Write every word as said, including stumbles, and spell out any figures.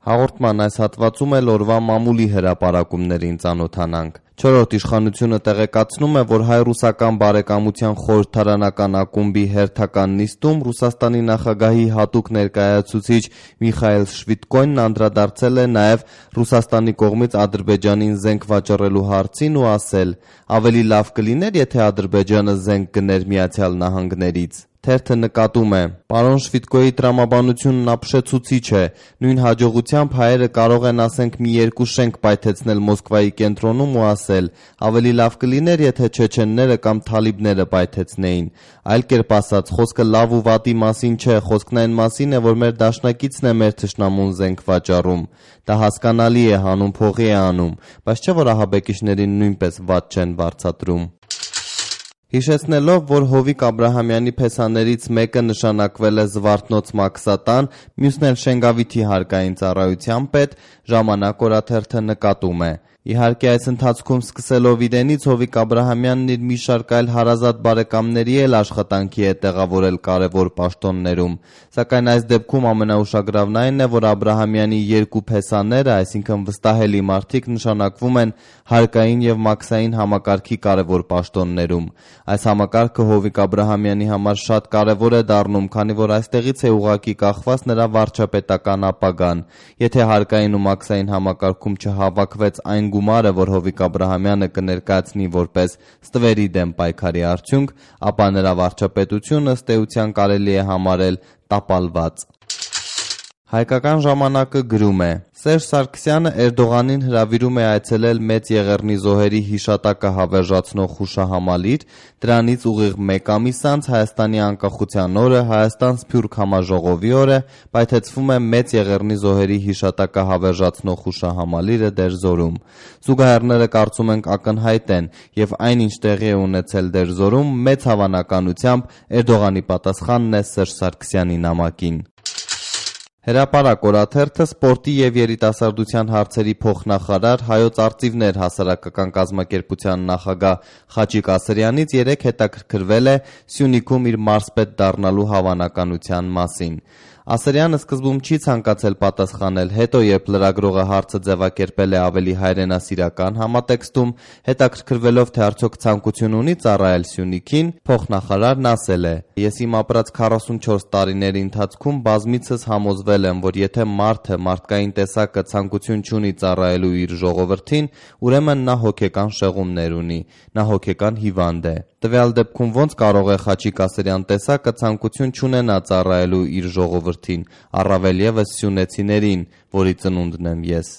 Հաղորդման այս հատվածում էլ օրվա մամուլի հրապարակումներին ծանոթանանք։ Չորրորդ իշխանությունը տեղեկացնում է, որ հայ-ռուսական բարեկամության խորհրդարանական ակումբի հերթական նիստում Ռուսաստանի նախագահի հատուկ ներկայացուցիչ Միխայիլ Շվիդկոյնն անդրադարձել է նաև Ռուսաստանի կողմից Ադրբեջանին զենք վաճառելու հարցին ու ասել. «Ավելի լավ կլիներ, եթե Ադրբեջանը զենք գներ Միացյալ Նահանգներից»։ Թերթը նկատում է. «Պարոն Շվիդկոյի տրամաբանությունն ապշեցուցիչ է։ Նույն հաջողությամբ հայերը կարող են ասենք մի երկու շենք պայթեցնել Մոսկվայի կենտրոնում ու ասել. ավելի լավ կլիներ, եթե չեչենները կամ թալիբները պայթեցնեին։ Այլ կերպ ասած, խոսքը լավ ու վատի մասին չէ, խոսքն այն մասին է, որ մեր դաշնակիցն է մեր թշնամուն զենք վաճառում։ Դա հասկանալի է, հանուն փողի է անում, բայց չէ որ ահաբեկիչներին նույնպես վատ չեն վարձատրում»։ Հիշեցնելով, որ Հովիկ Աբրահամյանի փեսաներից մեկը նշանակվել է Զվարթնոց Մաքսատան, մյուսն էլ Շենգավիթի հարկային ծառայության պետ, Ժամանակ օրաթերթը նկատում է. «Իհարկե այս ընթացքում սկսելով իրենից Հովիկ Աբրահամյանն իր մի շարք այլ հարազատ բարեկամների էլ աշխատանքի է տեղավորել կարևոր պաշտոններում, սակայն այս դեպքում ամենաուշագրավն այն է, որ Աբրահամյանի երկու փեսաները, այսինքն վստահելի մարդիկ, նշանակվում են հարկային և մաքսային համակարգի կարևոր պաշտոններում։ Այս համակարգը Հովիկ Աբրահամյանի համար շատ կարևոր է դառնում, քանի որ այստեղից է ուղղակի կախված նրա վարչապետական ապագան։ Եթե հարկային ու մաքսային համակարգում չհավաքվեց այն գումարը, որ Հովիկ Աբրահամյանը կներկայացնի որպես ստվերի դեմ պայքարի արդյունք, ապա նրա վարչապետությունը ըստ էության կարելի է համարել տապալված»։ Հայկական ժամանակը գրում է. «Սերժ Սարգսյանը Էրդողանին հրավիրում է այցելել Մեծ Եղեռնի զոհերի հիշատակը հավերժացնող հուշահամալիր, դրանից ուղիղ մեկ ամիս անց Հայաստանի անկախության օրը Հայաստան-Սփյուռք համաժողովի օրը պայթեցվում է Մեծ Եղեռնի զոհերի հիշատակը հավերժացնող հուշահամալիրը Դերձորում։ Զուգահեռները կարծում ենք ակնհայտ են, և այն, ինչ տեղի է ունեցել Դերձորում, մեծ հավանականությամբ Էրդողանի պատասխանն է Սերժ Սարգսյանի նամակին»։ Հրապարակ օրաթերթը սպորտի և երիտասարդության հարցերի փոխնախարար, Հայոց արծիվներ հասարակական կազմակերպության նախագահ Խաչիկ Ասրյանից երեկ հետաքրքրվել է Սյունիքում իր մարզպետ դառնալու հավանականության մասին։ Ասրյանը սկզբում չի ցանկացել պատասխանել, հետո երբ լրագրողը հարցը ձևակերպել է ավելի հայրենասիրական համատեքստում, հետաքրքրվելով թե արդյոք ցանկություն ունի ծառայել Սյունիքին, փոխնախարարն ասել է. «Ես իմ ապրած քառասունչորս տարիների ընթացքում բազմիցս համոզվել եմ, որ եթե մարդը, մարդկային տեսակը ցանկություն չունի ծառայելու իր ժողովրդին, ուրեմն նա հոգեկան շեղումներ ունի, նա հոգեկան հիվանդ է։ Տվյալ դեպքում ոնց կարող է Խաչիկ Ասրյան տեսակը ցանկություն չունենա ծառայելու իր ժողովրդին, առավել ևս սյունեցիներին, որի ծնունդն եմ ես»։